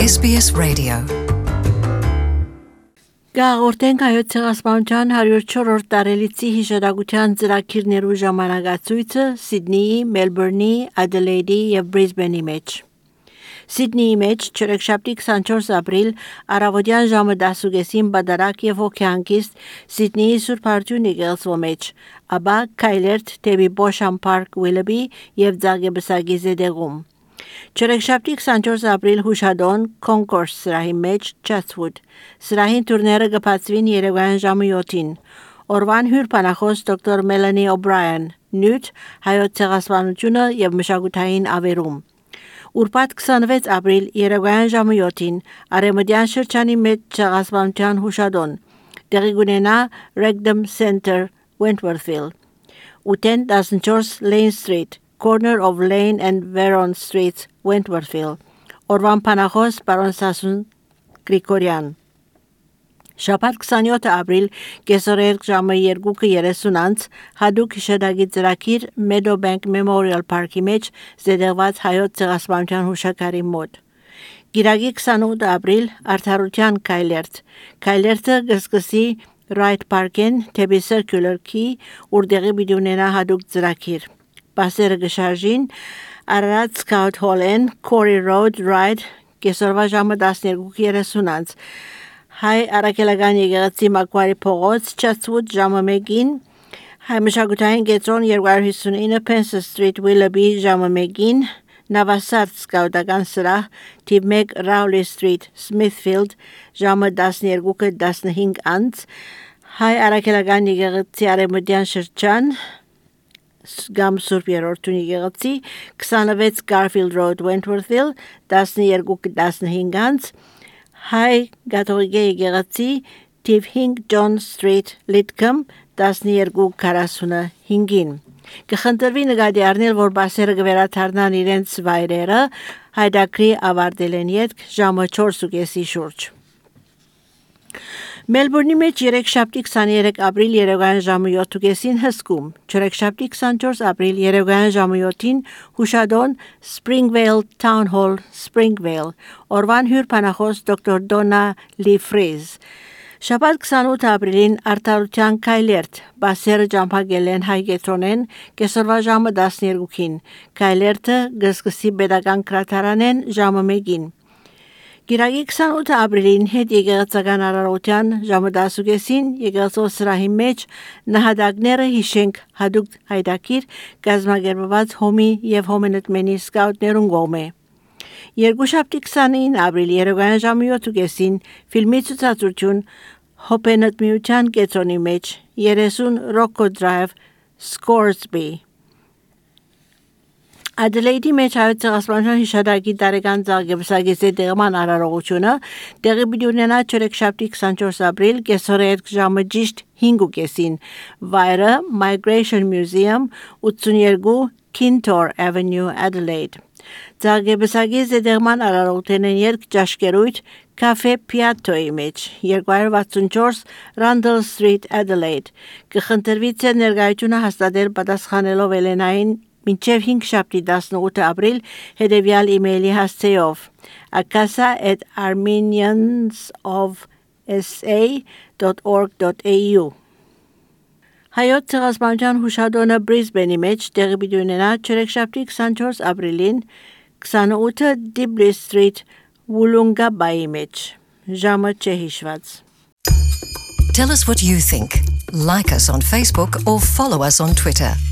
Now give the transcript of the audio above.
SBS Radio. Գաղորդենք հայոց ցեղասպանության 104-րդ տարելիցի հիշատակության ծրագիրներու ժամանակացույցը Սիդնեի, Մելբուրնի, Ադելեիդի եւ Բրիզբենի մեջ։ Սիդնեի մեջ չորեքշաբթի 24 ապրիլ առավոտյան ժամը 10:00-ին բադարակ եւ հոգեանկիստ Սիդնեի Սուրբ Արտյունի եկեղեցու մեջ, ապա Քայլերթ դեպի Բոշան Պարկ Ուիլբի եւ Ձագեբսագի զեդեղում։ Չորեքշաբթի 24 ապրիլ հուշադոն Concourse սրահի մեջ Chatswood։ Սրահին տուրները կբացվին երեկոյան ժամը 7-ին։ Օրվան հյուրբանախոս դոկտոր Մելանի Օբրայան, նյութ հայոց ցեղասպանությունը եւ մշակութային ավերում։ Ուրբաթ 26 ապրիլ երեկոյան ժամը 7-ին Արեմդյան շրջանի մեջ ցեղասպանության հուշադոն։ Տեղի կունենա Wrexham Center, Wentworthville։ 8-14 Lane Street, corner of Lane and Veron Streets, Wentworthville. Օրվան փանախոս պարոն Սասուն Գրիգորյան։ Շաբաթ 27 ապրիլ կեսօրեր ժամը 2:30 հadouk հիշադակի ծրագիր Meadowbank Memorial Park-ի մեջ զետեղված հայոց ցեղասպանության հուշակարի մոտ։ Գիրագի 28 ապրիլ արդարության Քայլերթ։ Քայլերթը գսկսի Wright Park-ին դեպի Circular Quay, որտեղի բիդունենա հadouk ծրագիր։ Բասերը գշարժին Ararat Scout Hall-ին Corey Road Ride կեսօրվա ժամը 12:30 Հայ Արաքելական եկեղեցի Մակվարի փողոց Chatswood ժամը 1-ին Հայ մշակութային կենտրոն 259 Pence Street Willoughby ժամը 1-ին Navasart Scout-ական սրահ թիվ 1 Rowley Street Smithfield ժամը 12:15 անց Հայ Արաքելական եկեղեցի Արեմդյան շրջան Gam Surp Երորդունի եկեղեցի 26 Garfield Road Wentworthville 12:15 անց Հայ Կաթողիկե եկեղեցի թիվ 5 John Street Lidcombe 12:45-ին Կխնդրվի նկատի առնել, որ բասերը կվերադառնան իրենց վայրերը հայդակրի ավարտելեն ետք ժամը 4:30-ի շուրջ։ Մելբուրնի մեջ երեքշաբթի 23 ապրիլ երեկոյան ժամը 7:30-ին հսկում, չորեքշաբթի 24 ապրիլ երեկոյան ժամը 7-ին հուշադոն Springvale Town Hall, Springvale, օրվան հյուրբանախոս դոկտոր Դոնա Լի Ֆրիզ։ Շաբաթ 28 ապրիլին արդարության Քայլերթ, բասերը ճամփագել են հայկետրոնեն կեսօրվա ժամը 12-ին, Քայլերթը գսկսի պետական գրադարանեն ժամը 1-ին։ Գիրագի 28 ապրիլին հետ եկեղեցական արարողության ժամը 10:30-ին եկեղեցու սրահի մեջ նահատակները հիշենք հadouk հայդակիր գազագերբված հոմի եւ հոմենտմենի սկաուտներուն կողմէ։ Երկուշաբթի 29 ապրիլ երեկոյան ժամը 7:30-ին ֆիլմի ցուցադրություն հոպենտմիության կենտրոնի մեջ 30 Rocco Drive, Scoresby։ Ադելեիդի մեջ հայոց ցեղասպանության հիշադակի տարեկան Ձագեբսագի զետեղման արարողությունը տեղի բյուրնենա չորեքշաբթի 24 ապրիլ կեսօրեր ժամը ճիշտ 5:30-ին վայրը Migration Museum 82 Kintor Avenue Adelaide։ Ձագեբսագի զետեղման արարողությունն երկ ճաշկերույթ Cafe Piatto-ի մեջ 264 Rundle Street Adelaide։ Կխնդրվի ձեր ներկայությունը հաստատել պատասխանելով Էլենային մինչև 5 շաբթի 18 ապրիլ հետևյալ email-ի հասցեով akasa@armeniansofsa.org.au Հայոց ցեղասպանության հուշադոնը Բրիզբենի մեջ տեղի ունենա չորեքշաբթի 24 ապրիլին 28 Dibley Street Wollongabay մեջ ժամը չհիշված Tell us what you think. Like us on Facebook or follow us on Twitter.